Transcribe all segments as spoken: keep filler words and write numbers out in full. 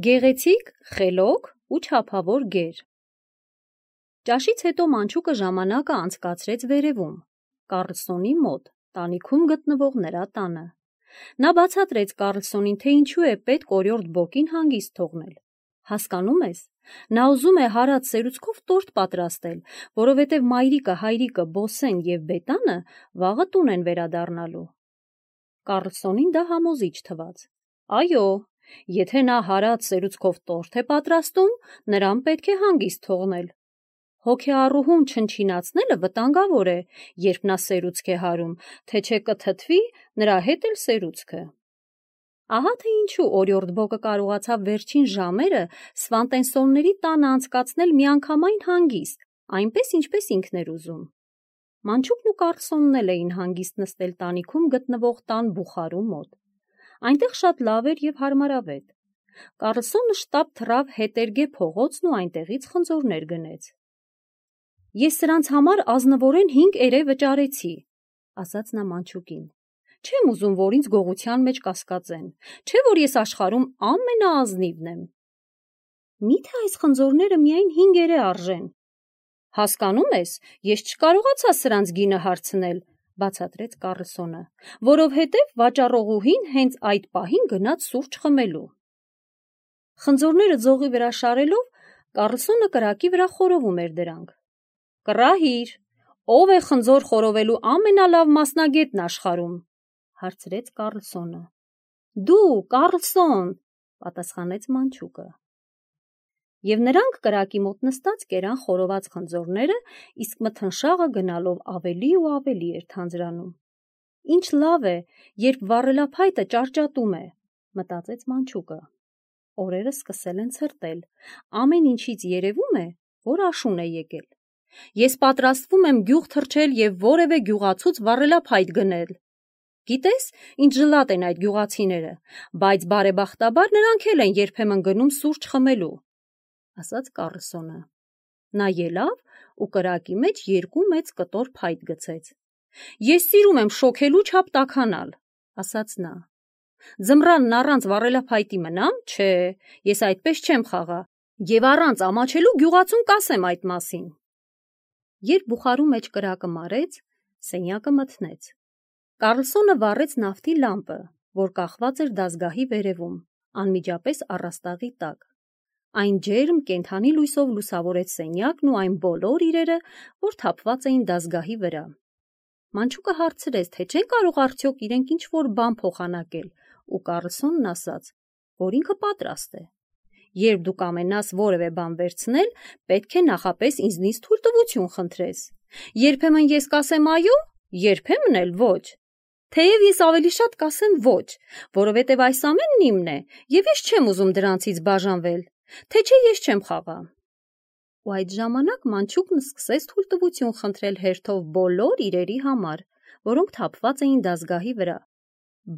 Գեղեցիկ, խելոք ու չափավոր գեր։ Ճաշից հետո մանչուկը ժամանակը անցկացրեց վերևում, Կառլսոնի մոտ, տանիքում գտնվող նրա տանը։ Նա բացատրեց Կառլսոնին, թե ինչու է պետք օրիորդ Բոկին հանգիստ թողնել։ Հասկանում ես, նա ուզում է հարած սերուցքով տորտ պատրաստել, որովհետև մայրիկը, հայրիկը, Բոսեն և Բետանը վաղը տուն են վերադառնալու։ Կառլսոնին դա համոզիչ թվաց։ Այո, եթե նա հարած սերուցքով տորտ է պատրաստում, նրան պետք է հանգիստ թողնել։ Հոգեառուհուն չնչինացնելը վտանգավոր է, երբ նա սերուցք է հարում, թե չէ կթթվի նրա հետ էլ սերուցքը։ Ահա թե ինչու օրիորդ Բոկը կարողացավ վերջին ժամերը Սվանտենսոնների տանը անցկացնել միանգամայն հանգիստ, այնպես ինչպես ինքն էր ուզում։ Մանչուկն ու Կառլսոնն էլ էին հանգիստ նստել տանիքում գտնվող տան բուխարու մոտ։ Այնտեղ շատ լավ էր և հարմարավետ։ Կառլսոնը շտապ թռավ հետերգե փողոցն ու այնտեղից խնձորներ գնեց։ Ես սրանց համար ազնվորեն հինգ էրե վճարեցի, ասաց նա մանչուկին։ Չեմ ուզում, որ ինձ գողության մեջ կասկածեն, չէ որ ես աշխարհում ամենաազնիվն եմ։ Միթե այս խնձորները միայն հինգ էրե արժեն։ Հասկանում ես, ես չկարողացա սրանց գինը հարցնել, բացատրեց Կառլսոնը, որովհետև վաճառողուհին հենց այդ պահին գնաց սուրճ խմելու։ Խնձորները ձողի վրա շարելով, Կառլսոնը կրակի վրա խորովում էր դրանք։ Կռահիր, ով է խնձոր խորովելու ամենալավ մասնագետն աշխարհում, հարցրեց Կառլսոնը։ Դու, Կառլսոն, պատասխանեց մանչուկը։ Եվ նրանք կրակի մոտ նստած կերան խորոված խնձորները, իսկ մթնշաղը գնալով ավելի ու ավելի էր թանձրանում։ Ինչ լավ է, երբ վառելափայտը ճարճատում է, մտածեց մանչուկը։ Օրերը սկսել են ցրտել, ամեն ինչից երևում է, որ աշուն է եկել։ Ես պատրաստվում եմ գյուղ թռչել և որևէ գյուղացուց վառելափայտ գնել։ Գիտես, ինչ ժլատ են այդ գյուղացիները, բայց բարեբախտաբար նրանք էլ են երբեմն գնում սուրճ խմելու, ասաց Կառլսոնը։ Նա ելավ ու կրակի մեջ երկու մեծ կտոր փայտ գցեց։ Ես սիրում եմ շոգելու չափ տաքանալ, ասաց նա։ Ձմռանն առանց վառելափայտի մնամ, չէ, ես այդպես չեմ խաղա, և առանց ամաչելու գյուղացուն կասեմ այդ մասին։ Երբ բուխարու մեջ կրակը մարեց, սենյակը մթնեց։ Կառլսոնը վառեց նավթի լամպը, որ կախված էր դազգահի վերևում, անմիջապես առաստաղի տակ։ Այն ջերմ կենդանի լույսով լուսավորեց սենյակն ու այն բոլոր իրերը, որ թափված էին դազգահի վրա։ Մանչուկը հարցրեց, թե չեն կարող արդյոք իրենք ինչ-որ բան փոխանակել, ու Կառլսոնն ասաց, որ ինքը պատրաստ է։ Երբ դու կամենաս որևէ բան վերցնել, պետք է նախապես ինձնից թույլտվություն խնդրես։ Երբեմն ես կասեմ այո, երբեմն էլ ոչ։ Թեև ես ավելի շատ կասեմ ոչ, որովհետև այս ամենն իմն է, և ես չեմ ուզում դրանցից բաժանվել, թե չէ ես չեմ խաղա։ Ու այդ ժամանակ մանչուկն սկսեց թույլտվություն խնդրել հերթով բոլոր իրերի համար, որոնք թափված էին դազգահի վրա,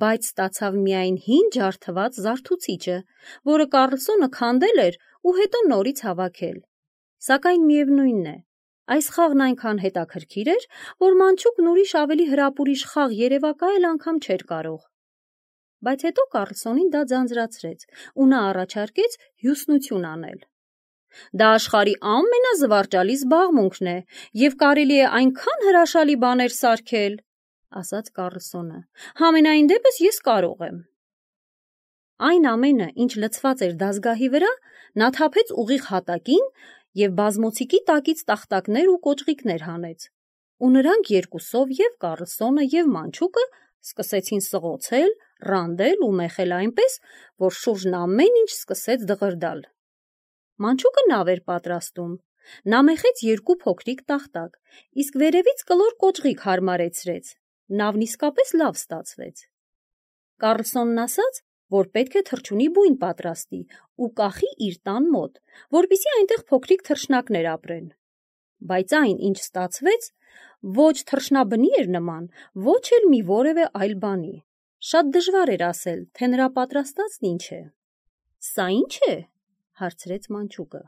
բայց ստացավ միայն հին ջարդված զարթուցիչը, որը Կառլսոնը քանդել էր ու հետո նորից հավաքել։ Սակայն միևնույն է, այս խաղն այնքան հետաքրքիր էր, որ մանչուկն ուրիշ ավելի հրապուրիչ խաղ երևակայել անգամ չէր կարող։ Բայց հետո Կառլսոնին դա ձանձրացրեց, ու նա առաջարկեց հյուսնություն անել։ Դա աշխարհի ամենազվարճալի զբաղմունքն է, և կարելի է այնքան հրաշալի բաներ սարքել, ասաց Կառլսոնը։ Համենայն դեպս ես կարող եմ։ Այն ամենը, ինչ լցված էր դազգահի վրա, նա թափեց ուղիղ հատակին և բազմոցիկի տակից տախտակներ ու կոճղիկներ հանեց։ Ու նրանք երկուսով և Կառլսոնը և մանչուկը սկսեցին սղոցել, ռանդել ու մեխել այնպես, որ շուրջն ամեն ինչ սկսեց դղրդալ։ Մանչուկը նավ էր պատրաստում։ Նա մեխեց երկու փոքրիկ տախտակ, իսկ վերևից կլոր կոճղիկ հարմարեցրեց։ Նավն իսկապես լավ ստացվեց։ Կառլսոնն ասաց, որ պետք է թռչունի բույն պատրաստի ու կախի իր տան մոտ, որպեսզի այնտեղ փոքրիկ թռչնակներ ապրեն։ Բայց այն, ինչ ստացվեց, ոչ թռչնաբնի էր նման, ոչ էլ մի որևէ այլ բանի։ Շատ դժվար էր ասել, թե նրա պատրաստածն ինչ է։ Սա ի՞նչ է, հարցրեց մանչուկը։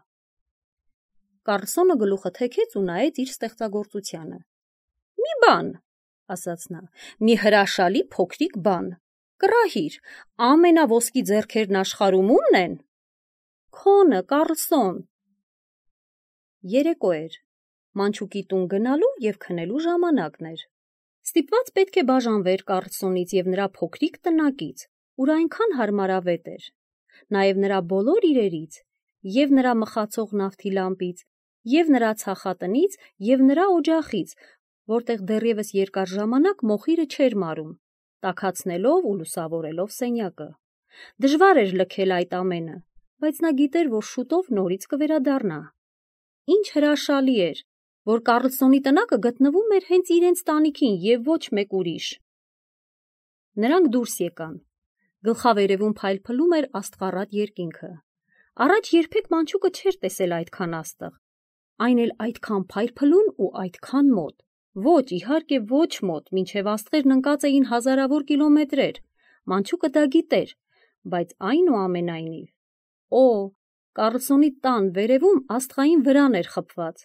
Կառլսոնը գլուխը թեքեց ու նայեց իր ստեղծագործությանը։ Մի բան, ասաց նա, մի հրաշալի փոքրիկ բան։ Կռահիր, ամենաոսկի ձեռքերն աշխարհում ումն են։ քոնը, Կառլսոն։ Երեկո էր։ Մանչուկի տուն գնալու և քնելու ժամանակն էր։ Ստիպված պետք է բաժանվեր Կառլսոնից և նրա փոքրիկ տնակից, ուր այնքան հարմարավետ էր, նաև նրա բոլոր իրերից, և նրա մխացող նավթի լամպից, և նրա ցախատնից, և նրա օջախից, որտեղ դեռևս երկար ժամանակ մոխիրը չէր մարում, տաքացնելով ու լուսավորելով սենյակը։ Դժվար էր լքել այդ ամենը, բայց նա գիտեր, որ շուտով նորից կվերադառնա։ Ինչ հրաշալի էր, որ Կառլսոնի տնակը գտնվում էր հենց իրենց տանիքին և ոչ մեկ ուրիշ։ Նրանք դուրս եկան։ Գլխավերևում փայլփլում էր աստղառատ երկինքը։ Առաջ երբեք Մանչուկը չէր տեսել այդքան աստղ, այն էլ այդքան փայլփլուն ու այդքան մոտ։ Ոչ, իհարկե ոչ մոտ, մինչև աստղերն ընկած էին հազարավոր կիլոմետրեր։ Մանչուկը դա գիտեր, բայց այնուամենայնիվ։ Օ, Կառլսոնի տան վերևում աստղային վրան էր խփված։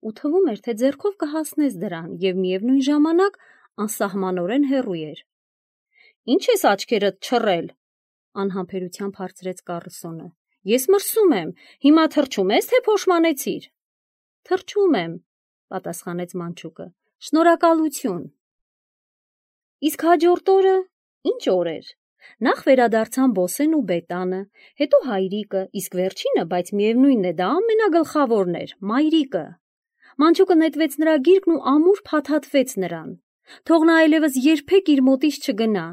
Ու թվում էր, թե ձեռքով կհասնես դրան և միևնույն ժամանակ անսահմանորեն հեռու էր։ Ինչ ես աչքերդ չռել, անհամբերությամբ հարցրեց Կառլսոնը։ Ես մրսում եմ, հիմա թրջում ես, թե փոշմանեցիր։ Թրջում եմ, պատասխանեց Մանչուկը։ Շնորհակալություն։ Իսկ հաջորդ օրը ինչ օր էր։ Նախ վերադարձան Բոսեն ու Բետանը, հետո հայրիկը, իսկ վերջինը, բայց միևնույնն է, դա ամենագլխավորն էր, մայրիկը։ Մանչուկը նետվեց նրա գիրկն ու ամուր փաթաթվեց նրան։ Թող նա այլևս երբեք իր մոտից չգնա։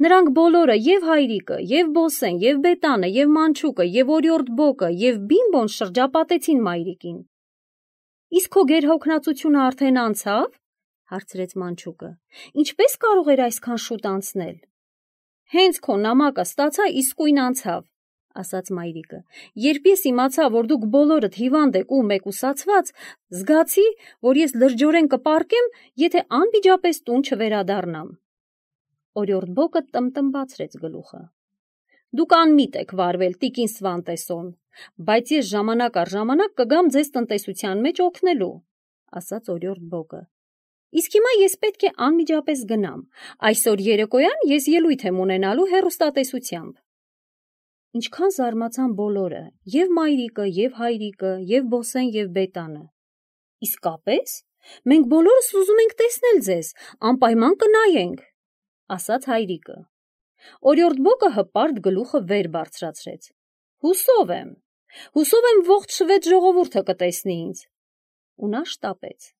Նրանք բոլորը, և հայրիկը, և Բոսեն, և Բետանը, և Մանչուկը, և օրիորդ Բոկը, և Բիմբոն շրջապատեցին մայրիկին։ Իսկ քո գերհոգնածությունը արդեն անցավ, հարցրեց Մանչուկը։ Ինչպես կարող էր այսքան շուտ անցնել։ Հենց քո նամակը ստացա, իսկույն անցավ, ասաց մայրիկը։ Երբ ես իմացա, որ դուք բոլորդ հիվանդ եք ու մեկուսացված, զգացի, որ ես լրջորեն կպառկեմ, եթե անմիջապես տուն չվերադառնամ։ Օրիորդ Բոկը տմտմբացրեց գլուխը։ Դուք անմիտ եք վարվել, տիկին Սվանտեսոն, բայց ես ժամանակ առ ժամանակ կգամ ձեզ տնտեսության մեջ օգնելու, ասաց օրիորդ Բոկը։ Իսկ հիմա ես պետք է անմիջապես գնամ։ Այսօր երեկոյան ես ելույթ եմ ունենալու հեռուստատեսությամբ։ Ինչքան զարմացան բոլորը, և մայրիկը, և հայրիկը, և Բոսեն, և Բետանը։ Իսկապես, մենք բոլորս ուզում ենք տեսնել ձեզ, անպայման կնայենք, ասաց հայրիկը։ Օրիորդ Բոկը հպարտ գլուխը վեր բարձրացրեց։ Հուսով եմ, հուսով եմ ողջ շվեդ ժողովուրդը կտեսնի ինձ։ Ու նա շտապեց։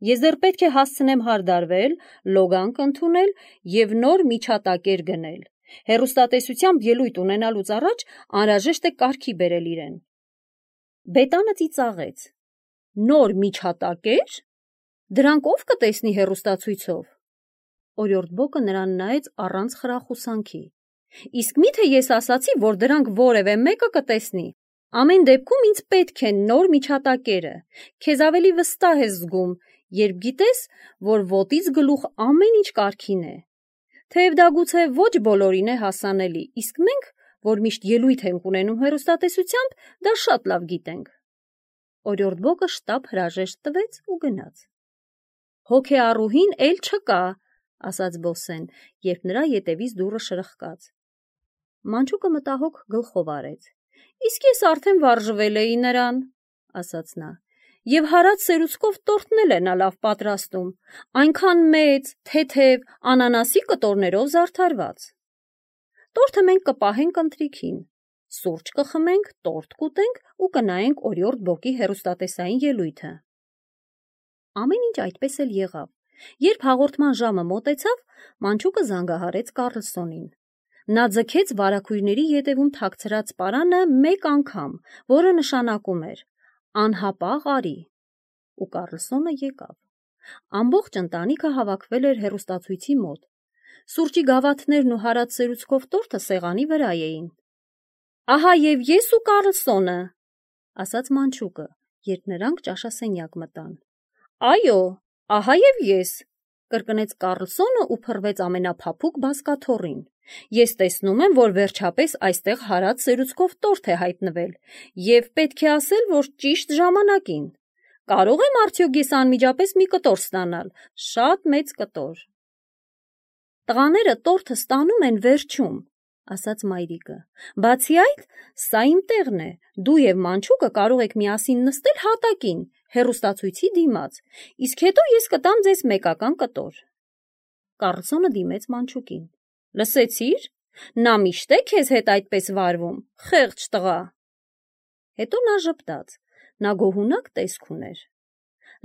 Ես դեռ պետք է հասցնեմ հարդարվել, լոգանք ընդունել և նոր միջատակեր գնել։ Հեռուստատեսությամբ ելույթ ունենալուց առաջ անհրաժեշտ է կարգի բերել իրեն։ Բետանը ծիծաղեց։ Նոր միջատակե՞ր։ Դրանք ով կտեսնի հեռուստացույցով։ Օրիորդ Բոկը նրան նայեց առանց խրախուսանքի։ Իսկ միթե ես ասացի, որ դրանք որևէ մեկը կտեսնի։ Ամեն դեպքում ինձ պետք են նոր միջատակերը։ Քեզ ավելի վստահ ես զգում, երբ գիտես, որ ոտից գլուխ ամեն ինչ կարգին է։ Թեև դա գուցե ոչ բոլորին է հասանելի, իսկ մենք, որ միշտ ելույթ ենք ունենում հեռուստատեսությամբ, դա շատ լավ գիտենք։ Օրիորդ Բոկը շտապ հրաժեշտ տվեց ու գնաց։ Հոգեառուհին էլ չկա, ասաց Բոսեն, երբ նրա ետևից դուռը շրխկաց։ Մանչուկը մտահոգ գլխով արեց։ Իսկ ես արդեն վարժվել էի նրան, ասաց նա, և հարած սերուցքով տորտնել է նա լավ պատրաստում, այնքան մեծ, թեթև, անանասի կտորներով զարդարված։ Տորթը մենք կպահենք ընթրիքին, սուրճ կխմենք, տորտ կուտենք ու կնայենք օրիորդ Բոկի հեռուստատեսային ելույթը։ Ամեն ինչ այդպես էլ եղավ։ Երբ հաղորդման ժամը մոտեցավ, Մանչուկը զանգահարեց Կառլսոնին։ Նա ձգեց վարագույրների ետևում թաքցրած պարանը մեկ անգամ, որը նշանակում էր անհապաղ արի։ Ու Կառլսոնը եկավ։ Ամբողջ ընտանիքը հավաքվել էր հեռուստացույցի մոտ։ Սուրճի գավաթներն ու հարած սերուցքով տորթը սեղանի վրա էին։ Ահա և ես ու Կառլսոնը, ասաց Մանչուկը, երբ նրանք ճաշասենյակ մտան։ Այո, ահա և ես, կրկնեց Կառլսոնը ու փռվեց ամենափափուկ բազկաթոռին։ Ես տեսնում եմ, որ վերջապես այստեղ հարած սերուցքով տորթ է հայտնվել, և պետք է ասել, որ ճիշտ ժամանակին։ Կարո՞ղ եմ արդյոք ես անմիջապես մի կտոր ստանալ, շատ մեծ կտոր։ Տղաները տորթը ստանում են վերջում, ասաց մայրիկը, բացի այդ, սա իմ տեղն է, դու և մանչուկը կարող եք միասին նստել հատակին, հեռուստացույցի դիմաց, իսկ հետո ես կտամ ձեզ մեկական կտոր։ Կառլսոնը դիմեց մանչուկին, լսեցի՞ր, նա միշտ է քեզ հետ այդպես վարվում, խեղճ տղա։ Հետո նա ժպտաց, նա գոհունակ տեսք ուներ։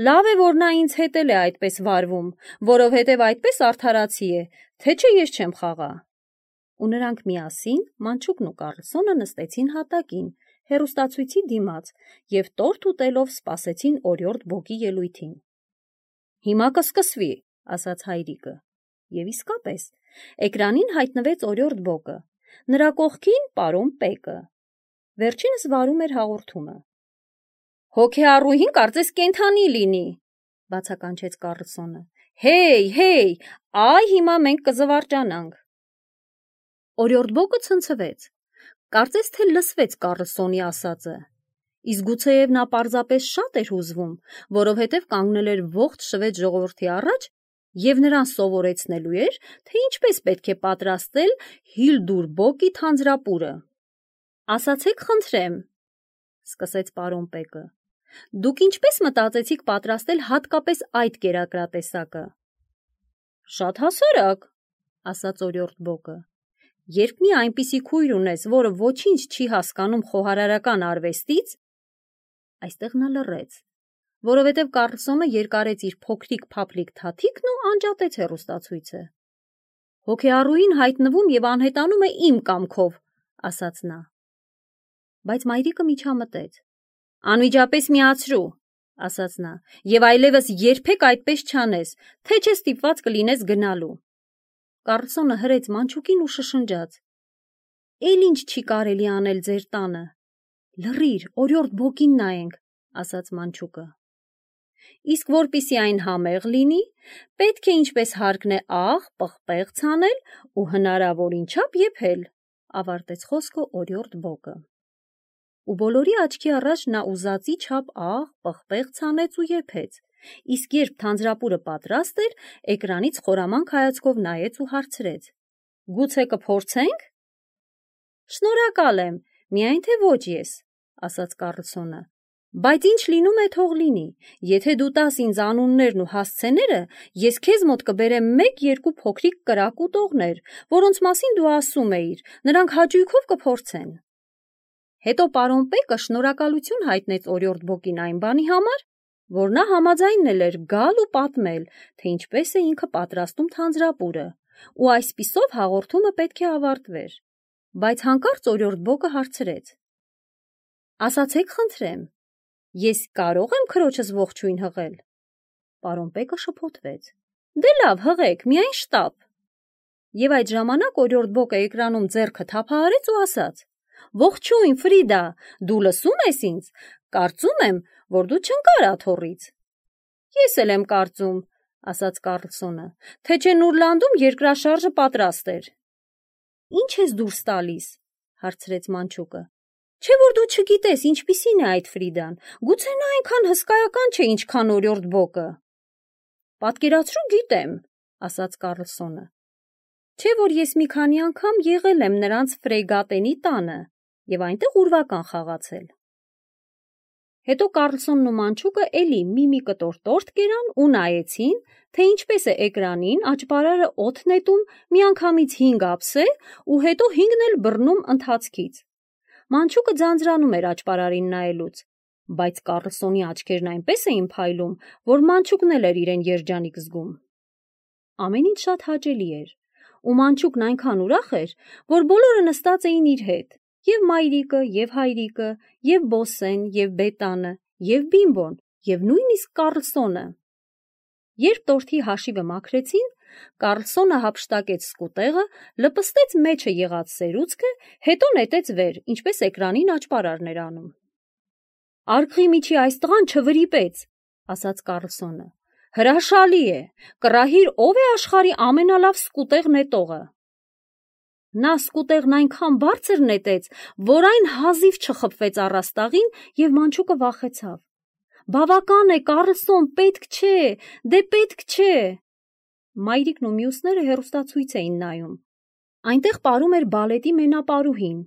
Լավ է, որ նա ինձ հետ էլ է այդպես վարվում, որովհետև այդպես արդարացի է, թե չէ ես չեմ խաղա։ Ու նրանք միասին, մանչուկն ու Կառլսոնը նստեցին հատակին, հեռուստացույցի դիմաց և տորթ ուտելով սպասեցին օրիորդ Բոկի ելույթին։ Հիմա կսկսվի, ասաց հայրիկը։ Եվ իսկապես, էկրանին հայտնվեց օրիորդ Բոկը, նրա կողքին պարոն Պեկը։ Վերջինս վարում էր հաղորդումը։ Հոգեառուհին կարծես կենդանի լինի, բացականչեց Կառլսոնը։ Հեյ, հեյ, այ հիմա մենք կզվարճանանք։ Օրիորդ Բոկը ցնցվեց, կարծես թե լսվեց Կառլսոնի ասածը, իսկ գուցեև նա պարզապես շատ էր հուզվում, որովհետև կանգնել էր ողջ շվեդ ժողովրդի առաջ և նրան սովորեցնելու էր, թե ինչպես պետք է պատրաստել Հիլդուր Բոկի թանձրապուրը։ Ասացեք խնդրեմ, սկսեց պարոն Պեկը, դուք ինչպես մտածեցիք պատրաստել հատկապես այդ կերակրատեսակը։ Շատ հասարակ, ասաց օրիորդ Բոկը, երբ մի այնպիսի քույր ունես, որը ոչինչ չի հասկանում խոհարարական արվեստից, այստեղ նա լռեց, որովհետև Կառլսոնը երկարեց իր փոքրիկ փափլիկ թաթիկն ու անջատեց հեռուստացույցը։ Հոգեառուհին հայտնվում և անհետանում է իմ կամքով, ասաց նա։ Բայց մայրիկը միջամտեց։ Անմիջապես միացրու, ասաց նա, և այլևս երբեք այդպես չանես, թե չէ ստիպված կլինես գնալու։ Կառլսոնը հրեց մանչուկին ու շշնջաց. Էլ ինչ չի կարելի անել ձեր տանը։ Լռիր, օրիորդ Բոկին նայենք, ասաց մանչուկը։ Իսկ որպիսի այն համեղ լինի, պետք է ինչպես հարկն է աղ, պղպեղ ցանել ու հնարավորին չափ եփել, ավարտեց խոսքը օրիորդ Բոկը։ Ու բոլորի աչքի առաջ նա ուզածի չափ աղ, պղպեղ ցանեց ու եփեց, իսկ երբ թանձրապուրը պատրաստ էր, էկրանից խորամանկ հայացքով նայեց ու հարցրեց. Գուցե կփորձենք։ Շնորհակալ եմ, միայն թե ոչ ես, ասաց Կառլսոնը, բայց ինչ լինում է թող լինի, եթե դու տաս ինձ անուններն ու հասցեները, ես քեզ մոտ կբերեմ մեկ-երկու փոքրիկ կրակ ուտողներ, որոնց մասին դու ասում էիր, նրանք հաճույքով կփորձեն։ Հետո պարոն Պեկը շնորհակալություն հայտնեց օրիորդ Բոկին այն բանի համար, որ նա համաձայնել էր գալ ու պատմել, թե ինչպես է ինքը պատրաստում թանձրապուրը, ու այսպիսով հաղորդումը պետք է ավարտվեր։ Բայց հանկարծ օրիորդ Բոկը հարցրեց. Ասացեք խնդրեմ, ես կարո՞ղ եմ քրոջս ողջույն հղել։ Պարոն Պեկը շփոթվեց. Դե լավ, հղեք, միայն շտապ։ Եվ այդ ժամանակ օրիորդ Բոկը էկրանում ձեռքը թափահարեց ու ասաց. Ողջույն, Ֆրիդա, դու լսում ես ինձ, կարծում եմ, որ դու չընկար աթոռից։ Ես էլ եմ կարծում, ասաց Կառլսոնը, թե չէ Նուրլանդում երկրաշարժը պատրաստ էր։ Ինչ ես դուրս տալիս, հարցրեց մանչուկը։ Չէ որ դու չգիտես ինչպիսին է այդ Ֆրիդան, գուցե նա այնքան հսկայական չէ, ինչքան օրիորդ Բոկը։ Պատկերացրու գիտեմ, ասաց Կառլսոնը։ Չէ որ ես մի քանի անգամ եղել եմ նրանց ֆրեգատենի տանը և այնտեղ ուրվական խաղացել։ Հետո Կառլսոնն ու մանչուկը էլի մի-մի կտոր տորթ կերան ու նայեցին, թե ինչպես է էկրանին աճպարարը օդ նետում միանգամից հինգ ափսե ու հետո հինգն էլ բռնում ընթացքից։ Մանչուկը ձանձրանում էր աճպարարին նայելուց, բայց Կառլսոնի աչքերն այնպես էին փայլում, որ մանչուկն էլ էր իրեն երջանիկ զգում։ Ամեն ինչ շատ հաճելի էր, ու մանչուկն այնքան ուրախ էր, որ բոլորը նստած էին իր հետ, և մայրիկը, և հայրիկը, և Բոսեն, և Բետանը, և Բիմբոն, և նույնիսկ Կառլսոնը։ Երբ տորթի հաշիվը մաքրեցին, Կառլսոնը հափշտակեց սկուտեղը, լպստեց մեջը եղած սերուցքը, հետո նետեց վեր, ինչպես էկրանին աճպարարն էր անում։ Արգղի միջի այս տղան չվրիպեց, ասաց Կառլսոնը։ Հրաշալի է, կռահիր ով է աշխարհի ամենալավ սկուտեղ նետողը։ Նա սկուտեղն այնքան բարձր նետեց, որ այն հազիվ չխփվեց առաստաղին և մանչուկը վախեցավ։ Բավական է, Կառլսոն, պետք չէ, դե պետք չէ։ Մայրիկն ու մյուսները հեռուստացույց էին նայում։ Այնտեղ պարում էր բալետի մենապարուհին,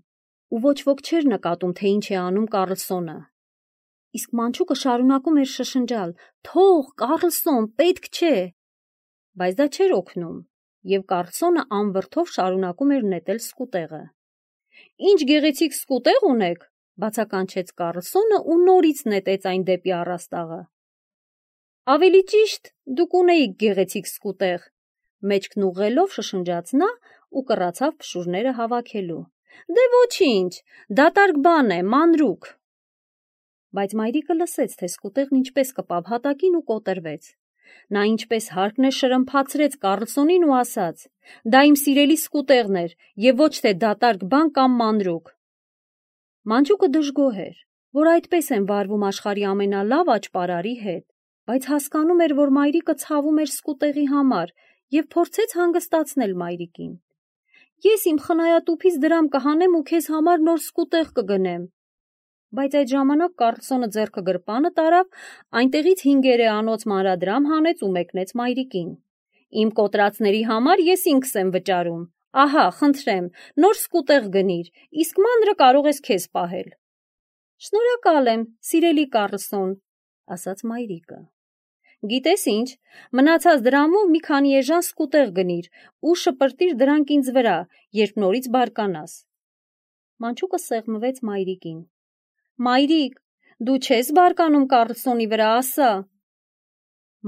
ու ոչ ոք չէր նկատում, թե ինչ է անում Կարլսոնը։ Իսկ մանչուկը շարունակում էր շշնջալ. «Թող, Կարլսոն, պետք չէ»։ Բայց դա չէր օգնում, եւ Կարլսոնը անվրդով շարունակում էր նետել սկուտեղը։ «Ինչ գեղեցիկ սկուտեղ ունեք», բացականչեց Կարլսոնը ու նորից նետեց այն դեպի առաստաղը։ «Ավելի ճիշտ, դուք ունեիք գեղեցիկ սկուտեղ», մեջքն ուղղելով շշնջաց նա ու կռացավ փշուրները հավաքելու։ «Դե ոչինչ, դատարկ բան է, մանրուք»։ Բայց մայրիկը լսեց, թե սկուտեղն ինչպես կպավ հատակին ու կոտրվեց։ Նա ինչպես հարկն է շրմփացրեց Կարլսոնին ու ասաց. «Դա իմ սիրելի սկուտեղն էր եւ ոչ թե դատարկ բան կամ մանրուք»։ Մանչուկը դժգոհ էր, որ այդպես են վարվում աշխարհի ամենալավ աճպարարի հետ, բայց հասկանում էր, որ մայրիկը ցավում էր սկուտեղի համար եւ փորձեց հանգստացնել մայրիկին։ «Ես իմ խնայատուփից դրամ կհանեմ ու քեզ համար նոր սկուտեղ կգնեմ»։ Բայց այդ ժամանակ Կարլսոնը ձեռքը գրպանը տարավ, այնտեղից հինգերեանոց մանրադրամ հանեց ու մեկնեց մայրիկին։ «Իմ կոտրածների համար ես ինքս եմ վճարում, ահա, խնդրեմ, նոր սկուտեղ գնիր, իսկ մանրը կարող ես քեզ պահել»։ «Շնորհակալ եմ, սիրելի Կարլսոն», ասաց մայրիկը։ «Գիտես ինչ, մնացած դրամով մի քանի էժան սկուտեղ գնիր ու շպրտիր դրանք ինձ վրա, երբ նորից բարկանաս»։ Մանչուկը սեղմվեց մայրիկին։ «Մայրիկ, դու չես բարկանում Կարլսոնի վրա, ասա»։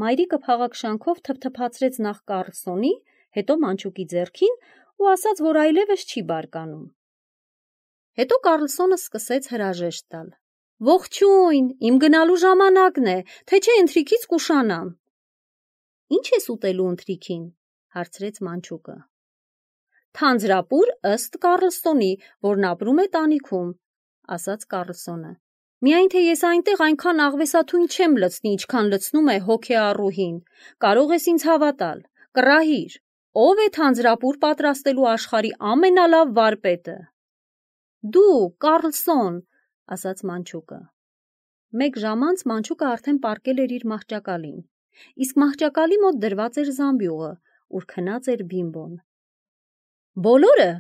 Մայրիկը փաղաքշանքով թփթփացրեց նախ Կարլսոնի, հետո մանչուկի ձեռքին ու ասաց, որ այլևս չի բարկանում։ Հետո Կարլսոնը սկսեց հրաժեշտ տալ։ «Ողջույն, իմ գնալու ժամանակն է, թե չէ ընթրիքից կուշանամ»։ «Ինչ ես ուտելու ընթրիքին», հարցրեց մանչուկը։ «Թանձրապուր ըստ Կարլսոնի, որն ապրում է տանիքում», ասաց Կարլսոնը։ «Միայն թե ես այնտեղ այնքան աղվեսաթույն չեմ լցնի, ինչքան լցնում է հոգեառուհին, կարող ես ինձ հավատալ, կռահիր, ով է թանձրապուր պատրաստելու աշխարհի ամենալավ վարպետը»։ «Դու, Կարլսոն», ասաց մանչուկը։ Մեկ ժամ անց մանչուկը արդեն պառկել էր իր մահճակալին, իսկ մահճակալի մոտ դրված էր զամբյուղը, ուր քնած էր Բիմբոն։ Բոլորը,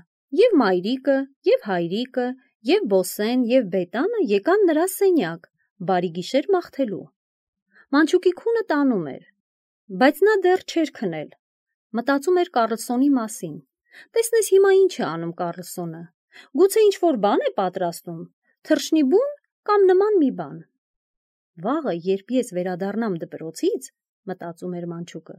և մայրիկը, և հայրիկը, և Բոսեն, և Բետանը եկան նրա սենյակ, բարի գիշեր մաղթելու։ Մանչուկի քունը տանում էր, բայց նա դեռ չէր քնել, մտածում էր Կարլսոնի մասին։ Տեսնես հիմա ինչ է անում Կարլսոնը, գուցե ինչ-որ բան է պատրաստում, թռչնի բուն կամ նման մի բան։ Վաղը, երբ ես վերադառնամ դպրոցից, մտածում էր մանչուկը,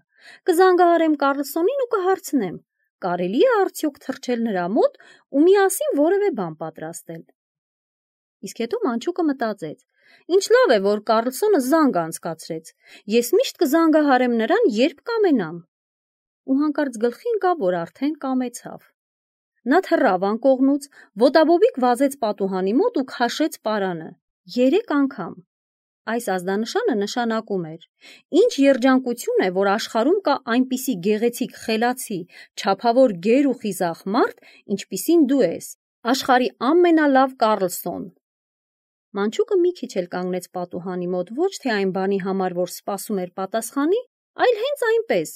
կզանգահարեմ Կարլսոնին ու կհարցնեմ, կարելի է արդյոք թռչել նրա մոտ ու միասին որևէ բան պատրաստել։ Իսկ հետո մանչուկը մտածեց. ինչ լավ է, որ Կարլսոնը զանգ անցկացրեց, ես միշտ կզանգահարեմ նրան, երբ կամենամ։ Ու հանկարծ գլխի ընկավ, որ արդեն կամեցավ։ Նա թռավ անկողնուց, ոտաբոբիկ վազեց պատուհանի մոտ ու քաշեց պարանը երեք անգամ։ Այս ազդանշանը նշանակում էր. ինչ երջանկություն է, որ աշխարհում կա այնպիսի գեղեցիկ, խելացի, չափավոր գեր ու խիզախ մարդ, ինչպիսին դու ես, աշխարհի ամենալավ Կարլսոն։ Մանչուկը մի քիչ էլ կանգնեց պատուհանի մոտ, ոչ թե այն բանի համար, որ սպասում էր պատասխանի, այլ հենց այնպես։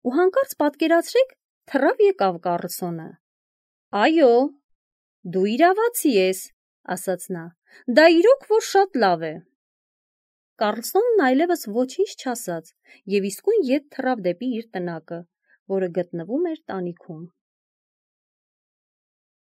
Ու հանկարծ պատկերացրեք, թռավ եկավ Կարլսոնը։ «Այո, դու իրավացի ես», ասաց նա, «դա իրոք որ շատ լավ է»։ Կարլսոնն այլևս ոչինչ չասաց և իսկույն ետ թռավ դեպի իր տնակը, որը գտնվում էր տանիքում։